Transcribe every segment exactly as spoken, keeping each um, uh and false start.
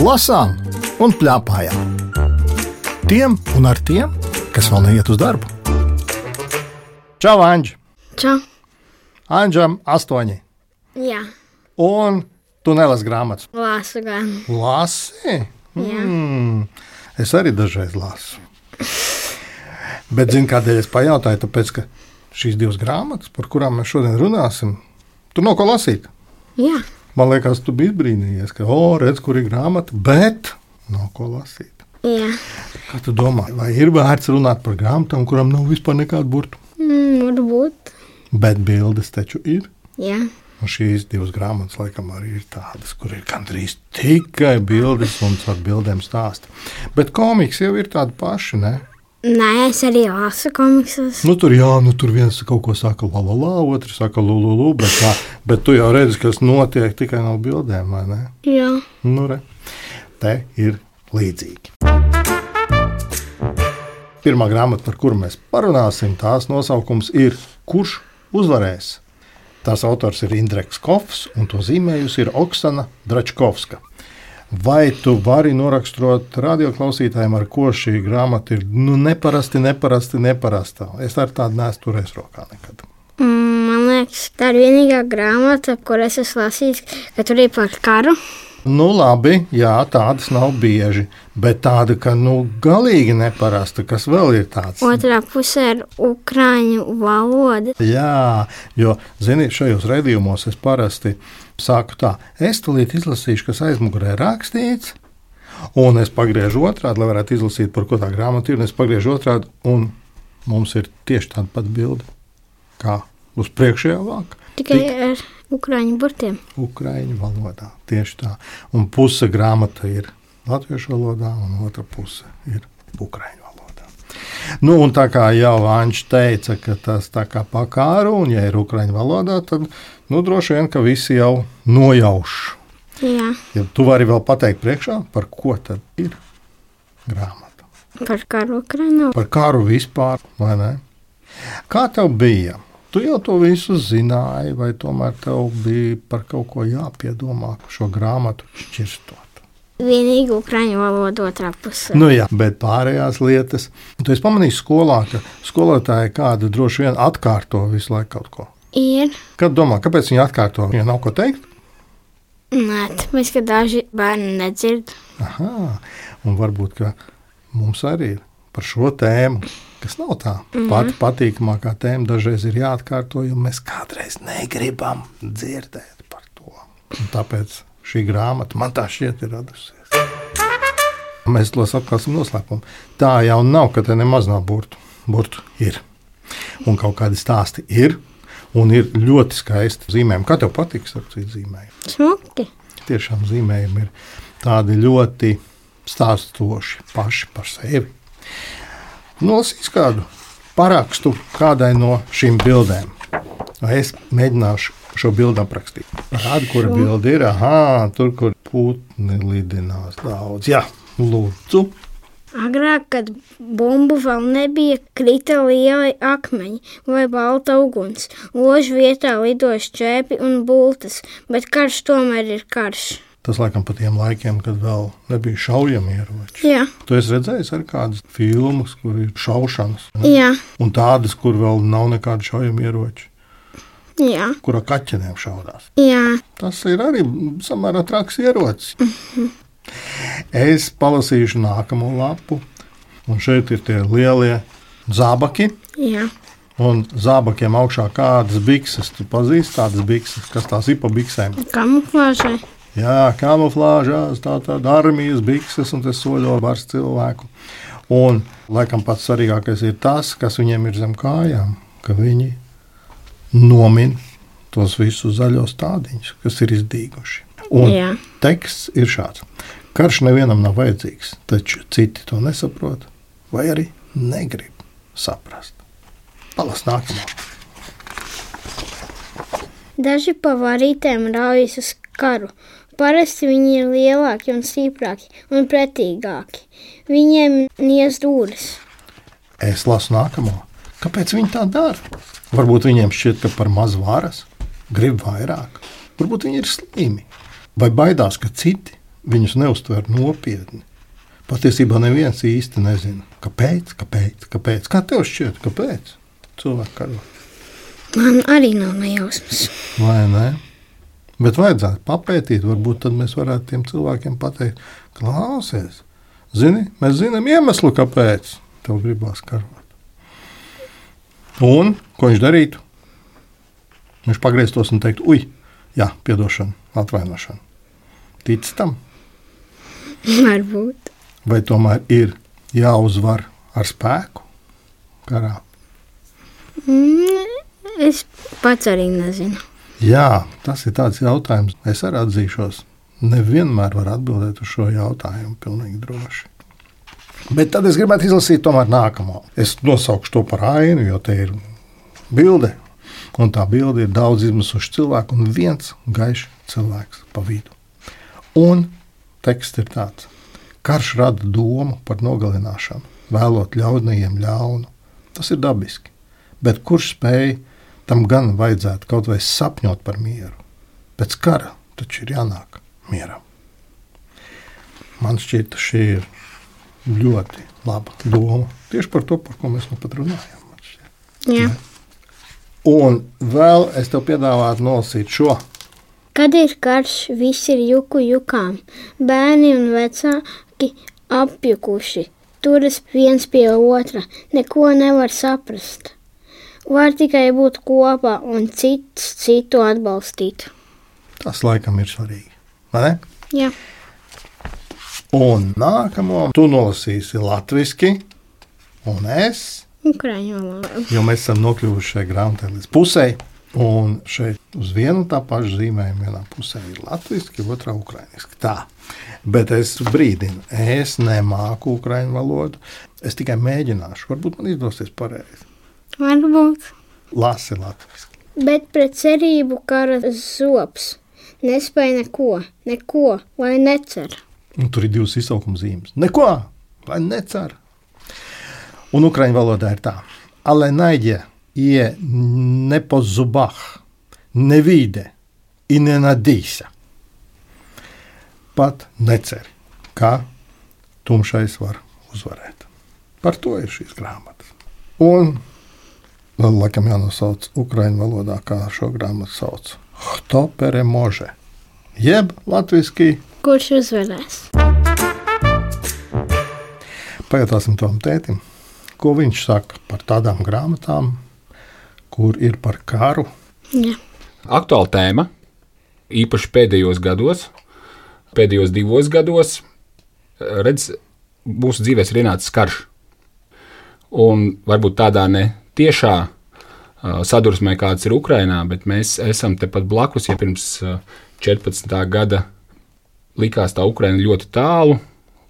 lasām un plēpājām. Tiem un ar tiem, kas vēl neiet uz darbu. Čau, Anģi! Čau! Anģam astoņi. Jā. Un tu nelasi grāmatas? Lasu gan. Lasi? Jā. Mm, es arī dažreiz lasu. Bet zini, kādēļ es pajautāju? Tāpēc, ka šīs divas grāmatas, par kurām mēs šodien runāsim, tu nav ko lasīt. Jā. Man liekas, tu biji brīnījies, ka, o, redz, kur ir grāmata, bet nav ko lasīt. Jā. Kā tu domā, vai ir vērts runāt par grāmatām, kurām nav vispār nekādu burtu? Mm, varbūt. Bet bildes taču ir. Jā. Un šīs divas grāmatas, laikam, arī ir tādas, kur ir gandrīz tikai bildes un ar bildēm stāsta. Bet komiks jau ir tādi paši, ne? Nē, es arī lasu komiksus. Nu, tur, jā, nu, tur viens kaut ko saka la la la, otrs saka lu lu lu, bet, tā, bet tu jau redzi, kas notiek tikai no bildēm, vai ne? Jā. Nu, re, te ir līdzīgi. Pirmā grāmata, par kuru mēs parunāsim, tās nosaukums ir Kurš uzvarēs? Tās autors ir Indreks Kofs, un to zīmējusi ir Oksana Dračkovska. Vai tu vari noraksturot radioklausītājiem, ar ko šī grāmata ir nu, neparasti, neparasti, neparastā? Es ar tādu neesmu turējis rokā nekad. Mm, man liekas, tā ir vienīgā grāmata, kur es esmu lasījis, ka tur ir par karu. Nu, labi, jā, tādas nav bieži, bet tāda, ka nu, galīgi neparasta, kas vēl ir tāds. Otrā pusē ir ukraiņu valoda. Jā, jo, zini, šajos redījumos es parasti sāku tā, es tulīt izlasīšu, kas aizmugurē rakstīts, un es pagriežu otrādi, lai varētu izlasīt, par ko tā grāmata ir, un es pagriežu otrādi, un mums ir tieši tāda pat bilde, kā uz priekšējā vāka. Tikai Tik... ar ukraiņu burtiem. Ukraiņu valodā, tieši tā. Un puse grāmata ir latviešu valodā, un otra puse ir ukraiņu valodā. Nu, un tā kā jau Anģis teica, ka tas tā kā pa kāru, un ja ir ukraiņu valodā, tad nu, droši vien, ka visi jau nojauš. Jā. Ja tu vari vēl pateikt priekšā, par ko tad ir grāmata? Par karu Ukrainā. Par karu vispār, vai ne? Kā tev bija? Tu jau to visu zināji, vai tomēr tev bija par kaut ko jāpiedomā šo grāmatu šķirstot? Vienīgi ukraiņu valoda otrā pusē. Nu jā, bet pārējās lietas. Tu esi pamanījis skolā, ka skolotāji kāda droši vien atkārto visu laiku kaut ko. Ir. Kad domā, kāpēc viņi atkārto? Ja nav ko teikt? Nē, tāpēc, ka daži bērni nedzird. Aha, un varbūt, ka mums arī ir par šo tēmu, kas nav tā mm-hmm. pati patīkamākā tēma, dažreiz ir jāatkārto, jo mēs kādreiz negribam dzirdēt par to. Un tāpēc šī grāmata man tā šķiet ir radusies. Mēs to atklāsim noslēpumu. Tā jau nav, ka te nemaz nav burtu. Burtu ir. Un kaut kādi stāsti ir. Un ir ļoti skaisti zīmējumi. Kā tev patiks ar citu zīmējumu? Smuki. Tiešām zīmējumi ir tādi ļoti stāstoši paši par sevi. Nolasīs kādu parakstu kādai no šīm bildēm. Es mēģināšu šo bildi aprakstīt. Rādi, kura bilde ir. Aha, tur, kur putni lidinās daudz. Jā, lūdzu. Agrāk, kad bumbu vēl nebija, krita lieli akmeņi vai balta uguns. Ložu vietā lidoja šķēpi un bultas, bet karš tomēr ir karš. Tas laikam pa tiem laikiem, kad vēl nebija šaujami ieroči. Jā. Tu esi redzējis arī kādas filmas, kur ir šaušanas? Ne? Jā. Un tādas, kur vēl nav nekādi šaujami ieroči? Jā. Kurā kaķenēm šaudās? Jā. Tas ir arī samērā traks ierocis. Mm-hmm. Es palasīšu nākamo lapu, un šeit ir tie lielie zābaki. Jā. Un zābakiem augšā kādas bikses. Tu pazīsti tādas bikses, kas tās ir pa biksēm? Kamuflāžai. Jā, kamuflāžās, tā tāda armijas bikses, un tas soļo bars cilvēku. Un, laikam, pats svarīgākais ir tas, kas viņiem ir zem kājām, ka viņi nomin tos visus zaļos tādiņus, kas ir izdīguši. Un Jā. Teksts ir šāds. Karš nevienam nav vajadzīgs, taču citi to nesaprot vai arī negrib saprast. Palas nākamā. Daži pa varītēm raujas uz karu. Parasti viņi ir lielāki un stiprāki un pretīgāki. Viņiem niez dūris. Es lasu nākamo. Kāpēc viņi tā dara? Varbūt viņiem šķiet, ka par maz varas, grib vairāk. Varbūt viņi ir slimi. Vai baidās, ka citi viņus neuztver nopietni. Patiesībā neviens īsti nezina, kāpēc, kāpēc, kāpēc. Kā tev šķiet, kāpēc cilvēki karo? Man arī nav nejausmas. Vai ne? Bet vajadzētu papētīt, varbūt tad mēs varētu tiem cilvēkiem pateikt, klausies, zini, mēs zinām iemeslu, kāpēc tev gribās karot. Un, ko viņš darītu? Viņš pagrieztos un teiktu, uj, jā, piedošana, atvainošana. Tici tam? Varbūt. Vai tomēr ir jāuzvar ar spēku karā? Mm, es pats arī nezinu. Jā, tas ir tāds jautājums. Es arī atzīšos, nevienmēr var atbildēt uz šo jautājumu pilnīgi droši. Bet tad es gribētu izlasīt tomēr nākamo. Es nosaukšu to par ainu, jo te ir bilde, un tā bilde ir daudz izmisuši cilvēku un viens gaišs cilvēks pa vidu. Un teksts ir tāds. Karš rada domu par nogalināšanu, vēlot ļaunajiem ļaunu. Tas ir dabiski, bet kurš spēj tam gan vajadzētu kaut vai sapņot par mieru? Pēc kara taču ir jānāk mieram. Man šķiet, šī ir ļoti laba doma. Tieši par to, par ko mēs nu pat runājam. Jā. Un vēl es tev piedāvātu nolasīt šo. Kad ir karš, visi ir juku jukām. Bērni un vecāki apjukuši. Turas viens pie otra. Neko nevar saprast. Var tikai būt kopā un cits citu atbalstīt. Tas laikam ir svarīgi. Vai ne? Jā. Un nākamo tu nolasīsi latviski un es, Ukraiņu valodā. jo mēs esam nokļuvuši šai grāmatai līdz pusei. Un šeit uz vienu tā pašu zīmējumu vienā pusē ir latviski, otrā ukrainiski. Tā. Bet es brīdinu, es nemāku ukraiņu valodu. Es tikai mēģināšu. Varbūt man izdosies pareizi. Varbūt. Lasi latviski. Bet pret cerību kara zops. Nespēja neko, neko, lai necer. Un tur ir divas izsaukuma zīmes. Neko, lai necer. Un ukraiņu valodā ir tā. Ale najde je ne po zubah, ne vide i ne nadīsa. Pat neceri, kā tumšais var uzvarēt. Par to ir šīs grāmatas. Un vēl laikam jānosauc ukraiņu valodā, kā šo grāmatu sauc. Hto peremože, jeb latviski. Kurš uzvarēs? Pajautāsim tam tētim, ko viņš saka par tādām grāmatām, kur ir par karu. Jā. Aktuāla tēma, īpaši pēdējos gados, pēdējos divos gados, redz, mūsu dzīvēs ir ienācis karš. Un varbūt tādā ne tiešā uh, sadursmē, kāds ir Ukrainā, bet mēs esam tepat blakus, ja pirms uh, četrpadsmitā gada likās tā Ukraina ļoti tālu,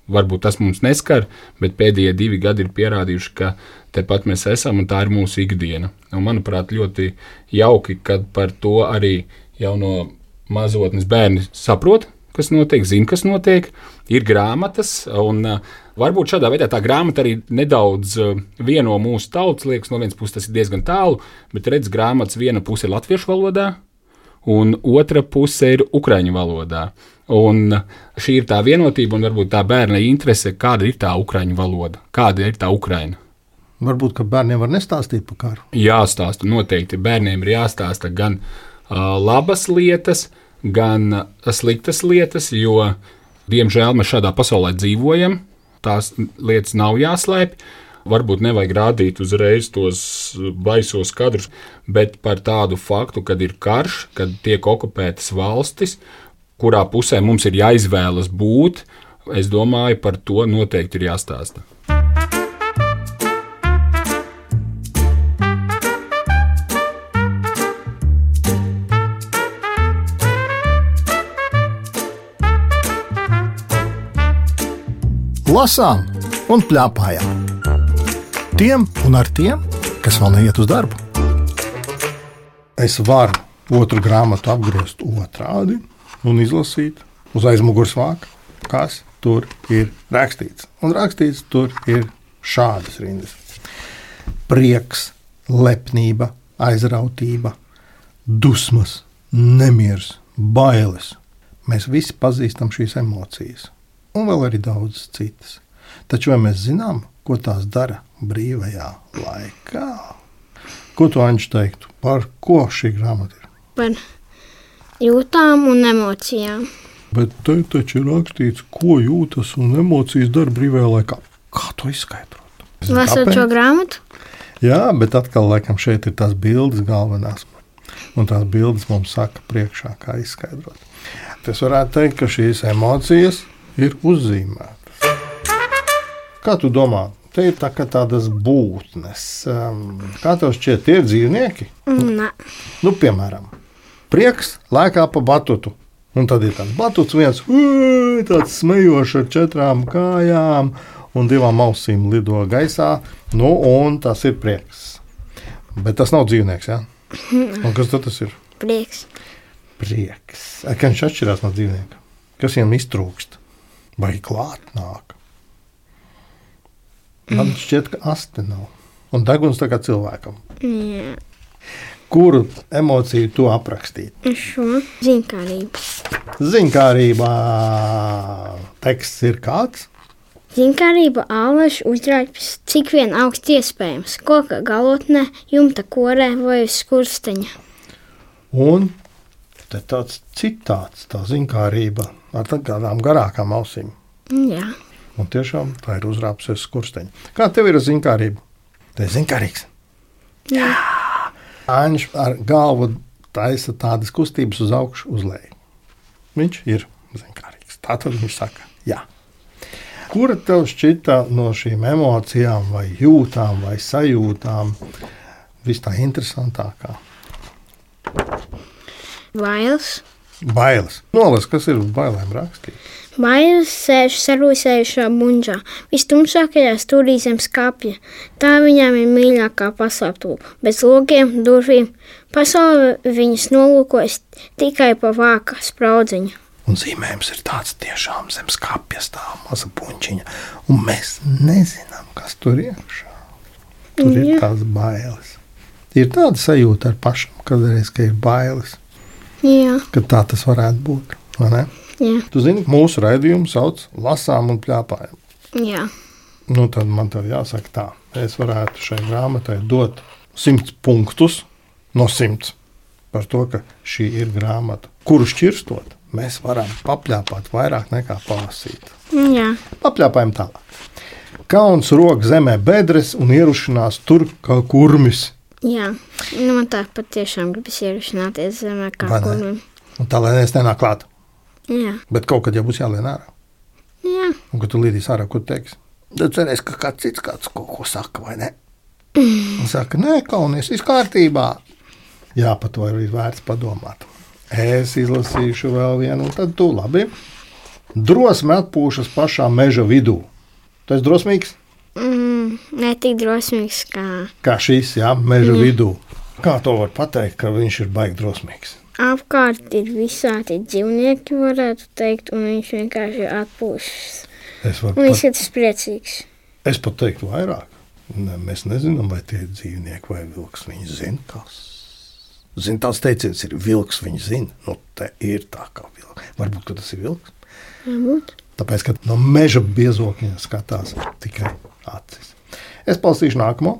varbūt tas mums neskar, bet pēdējie divi gadi ir pierādījuši, ka tepat mēs esam un tā ir mūsu ikdiena. Un, manuprāt, ļoti jauki, kad par to arī jau no mazotnes bērni saprot, kas notiek, zina, kas notiek, ir grāmatas, un uh, varbūt šādā veidā tā grāmata arī nedaudz uh, vieno mūsu tautas, liekas, no vienas puses tas ir diezgan tālu, bet redz, grāmatas viena puse ir latviešu valodā, un otra puse ir ukraiņu valodā. Un šī ir tā vienotība un varbūt tā bērna interese, kāda ir tā ukraiņu valoda, kāda ir tā Ukraina. Varbūt, ka bērniem var nestāstīt par karu. Jāstāsta, noteikti bērniem ir jāstāsta gan uh, labas lietas, gan uh, sliktas lietas, jo, diemžēl, mēs šādā pasaulē dzīvojam, tās lietas nav jāslēpj. Varbūt nevajag rādīt uzreiz tos baisos kadrus, bet par tādu faktu, kad ir karš, kad tiek okupētas valstis, kurā pusē mums ir jāizvēlas būt, es domāju, par to noteikti ir jāstāsta. Lasām un pļāpājām. Tiem un ar tiem, kas vēl neiet uz darbu. Es varu otru grāmatu apgriezt otrādi un izlasīt uz aizmugures vāka, kas tur ir rakstīts. Un rakstīts tur ir šādas rindas. Prieks, lepnība, aizrautība, dusmas, nemiers, bailes, Mēs visi pazīstam šīs emocijas, un vēl arī daudzas citas. Taču vai mēs zinām, ko tās dara brīvajā laikā? Ko tu, Anģi, teiktu? Par ko šī grāmata ir? Par jūtām un emocijām. Bet te taču ir rakstīts, ko jūtas un emocijas dara brīvajā laikā. Kā to izskaidrot? Lasot šo grāmatu? Jā, bet atkal laikam šeit ir tās bildes galvenās. Un tās bildes mums saka priekšā, kā izskaidrot. Es varētu teikt, ka šīs emocijas ir uzzīmētas. Kā tu domā? Te ir tā, tādas būtnes. Kā tev šķiet, tie ir dzīvnieki? Nē. Nu, piemēram, prieks lēkā pa batutu. Un tad ir tāds batuts viens, tāds smejošs ar četrām kājām un divām ausīm lido gaisā. Nu, un tas ir prieks. Bet tas nav dzīvnieks, jā? Un kas tad tas ir? Prieks. Prieks. Kā viņš atšķirās no dzīvnieka? Kas viņam iztrūkst? Vai klāt nāk? Man šķiet, ka asti nav. Un deguns tā kā cilvēkam. Jā. Kuru emociju tu aprakstītu? Šo ziņkārību. Ziņkārībā teksts ir kāds? Ziņkārība āleši uzrāpjas cik vien augsti iespējams. Koka galotnē, jumta korē vai uz skursteņa. Un te tāds citāts, tā ziņkārība ar tādām garākām ausīm. Jā. Un tiešām tā ir uzrāpsies skursteņa. Kā tev ir ziņkārība? Tu esi ziņkārīgs? Jā. Aņš ar galvu taisa tādas kustības uz augšu, uz leju. Viņš ir ziņkārīgs. Tā tad viņš saka, jā. Kura tev šķita no šīm emocijām vai jūtām vai sajūtām vis tā interesantākā? Bailes. Bailes. Nolas, kas ir uz bailēm rakstīt? Bailes sēž sarūsējušā buņģā, vistumšākajā stūrī zem skapja. Tā viņām ir mīļākā paslēptūba, bez logiem, durvīm. Pasaule viņas nolūkojas tikai pa vāka spraudziņa. Un zīmējums ir tāds tiešām zem skapja stāv maza buņķiņa, un mēs nezinām, kas tur iekšā. Tur Jā. ir tās bailes. Ir tāda sajūta ar pašam, kādreiz, ka ir bailes, Jā. ka tā tas varētu būt, vai ne? Jā. Tu zini, mūsu raidījumu sauc lasām un pļāpājam. Jā. Nu, tad man tev jāsaka tā. Es varētu šai grāmatai dot simts punktus no simts par to, ka šī ir grāmata, kuru šķirstot, mēs varam papļāpāt vairāk nekā palasīt. Jā. Papļāpājam tālāk. Kauns rok zemē bedres un ierušanās tur kā kurmis. Jā. Nu, man tā patiešām gribas ierušināties zemē kā Vai ne? kurmim. Un tā, lai es nenāk klāt. Jā. Bet kaut kad jau būs jālien ārā. Jā. Un kad tu līdīs ārā, ko tu teiksi? Tad cerēs, ka kāds cits kāds kaut ko saka, vai ne? Un saka, nē, kaunies, viss kārtībā. Jā, par to ir vērts padomāt. Es izlasīšu vēl vienu, un tad tu labi. Drosme atpūšas pašā meža vidū. Tu esi drosmīgs? Mm, ne tik drosmīgs kā Kā šis, jā, meža mm. vidū. Kā to var pateikt, ka viņš ir baigi drosmīgs? apkārt ir visādi dzīvnieki, varētu teikt, un viņš vienkārši atpūšas. Es varu Un pat, izskatās priecīgs. es pat teiktu vairāk. Ne, mēs nezinām, vai tie ir dzīvnieki vai vilks. Viņi zina, kas. Zin, tāds teiciens ir vilks, viņi zina. Nu, te ir tā kā vilks. Varbūt, ka tas ir vilks. Varbūt. Tāpēc, ka no meža biezokņa skatās tikai acis. Es palasīšu nākamo.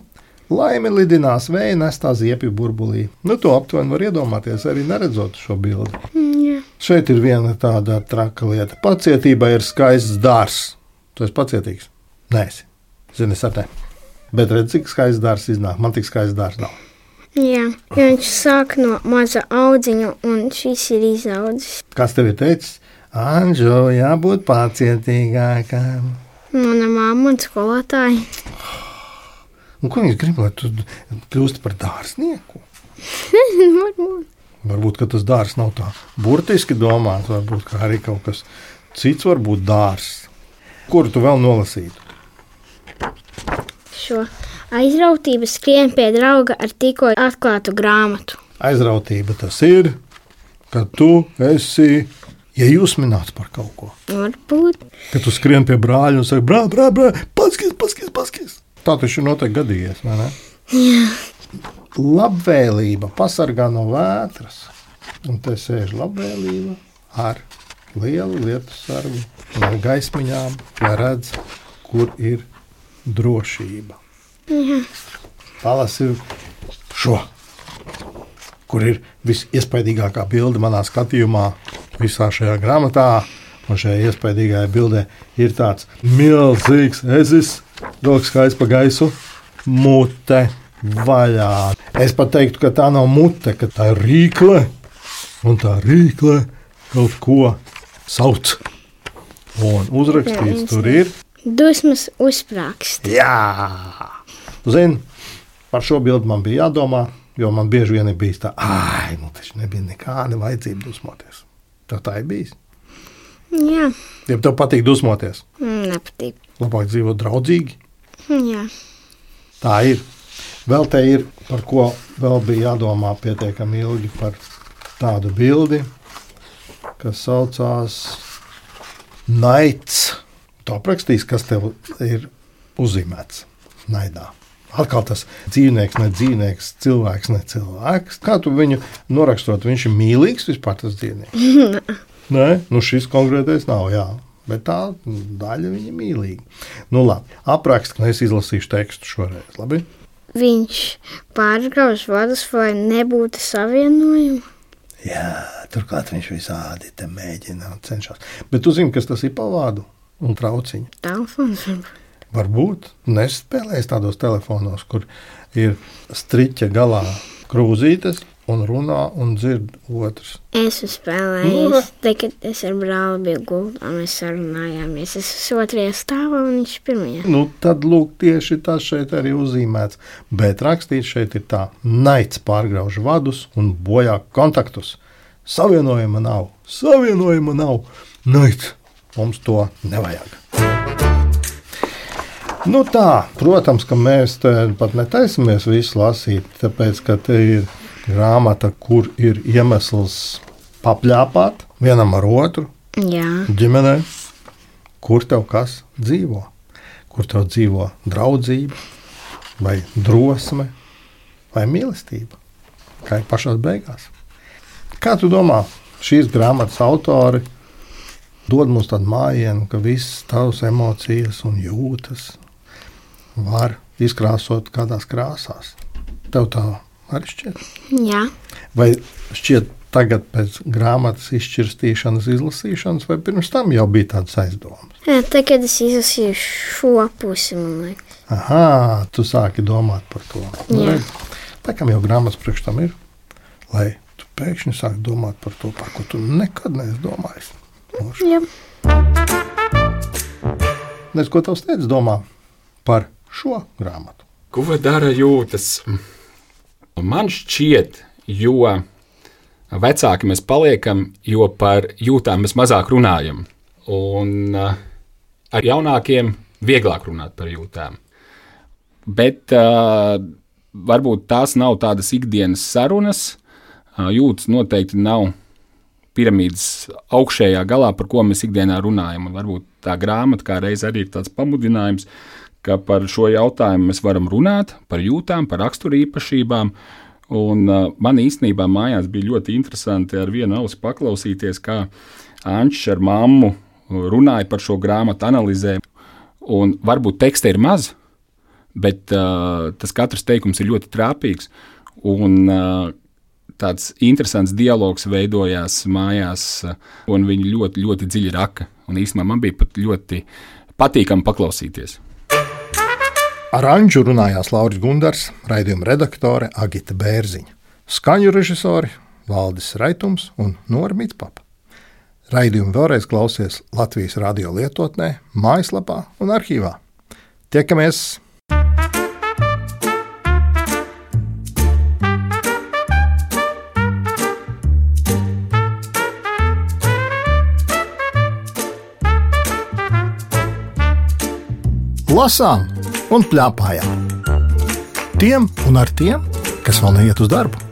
Laimi lidinās vēja nestā ziepju burbulī. Nu, to aptuveni var iedomāties, arī neredzot šo bildi. Mm, jā. Šeit ir viena tāda traka lieta. Pacietība ir skaists dārs. Tu esi pacietīgs? Nē, esi. Zini, es ar ne. Bet redz, cik skaists dārs iznāk. Man tik skaists dārs nav. Jā, jo viņš sāk no maza audziņa, un šis ir izaudzis. Kas tev ir teicis? Anžo, jābūt pacietīgākam. Mana mamma un skolotāji. Un ko viņš grib, lai tu kļūsti par dārznieku? Varbūt. Varbūt, ka tas dārs nav tā burtiski domāts. Varbūt, ka arī kaut kas cits var būt dārs. Kuru tu vēl nolasītu? Šo aizrautību skrien pie drauga ar tikko atklātu grāmatu. Aizrautība tas ir, ka tu esi iejūsmināts par kaut ko. Varbūt. Kad tu skrien pie brāļa un saki, brā, brā, brā, paskis, paskis, paskis. Tā taču noteikti gadījies, vai ne? Jā. Labvēlība pasargā no vētras. Un te sēž labvēlība ar lielu lietu sargu ar gaismiņām, lai redz, kur ir drošība. Jā. Palasi šo, kur ir visiespaidīgākā bilde manā skatījumā visā šajā grāmatā. Un šajā iespaidīgajā bildē ir tāds milzīgs ezis, rokas kājas pa gaisu, mute vaļā. Es pat teiktu, ka tā nav mute, ka tā ir rīkle, un tā rīkle kaut ko sauc. Un uzrakstīts tur ir dusmas uzsprāgst. Jā! Tu zini, par šo bildi man bija jādomā, jo man bieži vien ir bijis tā, ai, nu taču nebija nekāda vajadzība dusmoties. Tev tā ir bijis? Jā. Ja tev patīk dusmoties? Nepatīk. Labāk dzīvot draudzīgi? Jā. Tā ir. Vēl te ir, par ko vēl bija jādomā pietiekami ilgi par tādu bildi, kas saucās naids. Tu aprakstīs, kas tev ir uzzīmēts naidā. Atkal tas dzīvnieks, ne dzīvnieks, cilvēks, ne cilvēks. Kā tu viņu norakstot? Viņš ir mīlīgs vispār tas dzīvnieks? Nē, nu šis konkrētais nav, jā. Bet tā daļa viņa mīlīga. Nu labi, aprakst, ka es izlasīšu tekstu šoreiz, labi? Viņš pārgrauž vadus, vai nebūtu savienojumu? Jā, turklāt viņš visādi te mēģina un cenšas. Bet tu zini, kas tas ir pa vādu un trauciņu? Telefons varbūt. Varbūt. Nespēlēs tādos telefonos, kur ir striķa galā krūzītes un runā un dzird otrs. Es spēlēju, te, kad es ar brāli biju gultā, mēs sarunājāmies. Es esmu otrajā stāvā un viņš pirmajā. Nu, tad lūk, tieši tas šeit arī uzzīmēts. Bet rakstīts šeit ir tā, naids pārgrauž vadus un bojā kontaktus. Savienojuma nav, savienojuma nav. Naids, mums to nevajag. Nu tā, protams, ka mēs te pat netaisamies visu lasīt, tāpēc, ka te ir grāmata, kur ir iemesls papļāpāt vienam ar otru. Jā. Ģimenē, kur tev kas dzīvo, kur tev dzīvo draudzība, vai drosme, vai mīlestība, kā ir pašās beigās. Kā tu domā, šīs grāmatas autori dod mums tādu mājienu, ka visas tavas emocijas un jūtas var izkrāsot kādās krāsās? Tev tā arī šķiet? Jā. Vai šķiet tagad pēc grāmatas izšķirstīšanas, izlasīšanas, vai pirms tam jau bija tādas aizdomas? Jā, tad, kad es izlasīju šo pusi, man liekas. Aha, tu sāki domāt par to. Jā. Tā kā jau grāmatas priekš tam ir, lai tu pēkšņi sāki domāt par to, par ko tu nekad neesi domājis. Jā. Nes, ko tavs teicis domā par šo grāmatu? Ko dara jūtas? Man šķiet, jo vecāki mēs paliekam, jo par jūtām mēs mazāk runājam. Un ar jaunākiem vieglāk runāt par jūtām. Bet uh, varbūt tās nav tādas ikdienas sarunas. Uh, jūtas noteikti nav piramīdas augšējā galā, par ko mēs ikdienā runājam. Un varbūt tā grāmata kā reiz arī ir tāds pamudinājums, ka par šo jautājumu mēs varam runāt, par jūtām, par raksturīpašībām. Un uh, man īstenībā mājās bija ļoti interesanti ar vienu ausi paklausīties, kā Ančs ar mammu runāja par šo grāmatu, analizē. Un varbūt teksta ir maz, bet uh, tas katrs teikums ir ļoti trāpīgs. Un uh, tāds interesants dialogs veidojās mājās, uh, un viņi ļoti, ļoti dziļi raka. Un īstenībā man bija pat ļoti patīkami paklausīties. Ar Anģu runājās Lauris Gundars, raidījuma redaktore Agita Bērziņa, skaņu režisori Valdis Raitums un Nora Mitspapa. Raidījumu vēlreiz klausies Latvijas radio lietotnē, mājaslapā un arhīvā. Tiekamies! Lasām un pļāpājām. Tiem un ar tiem, kas vēl neiet uz darbu.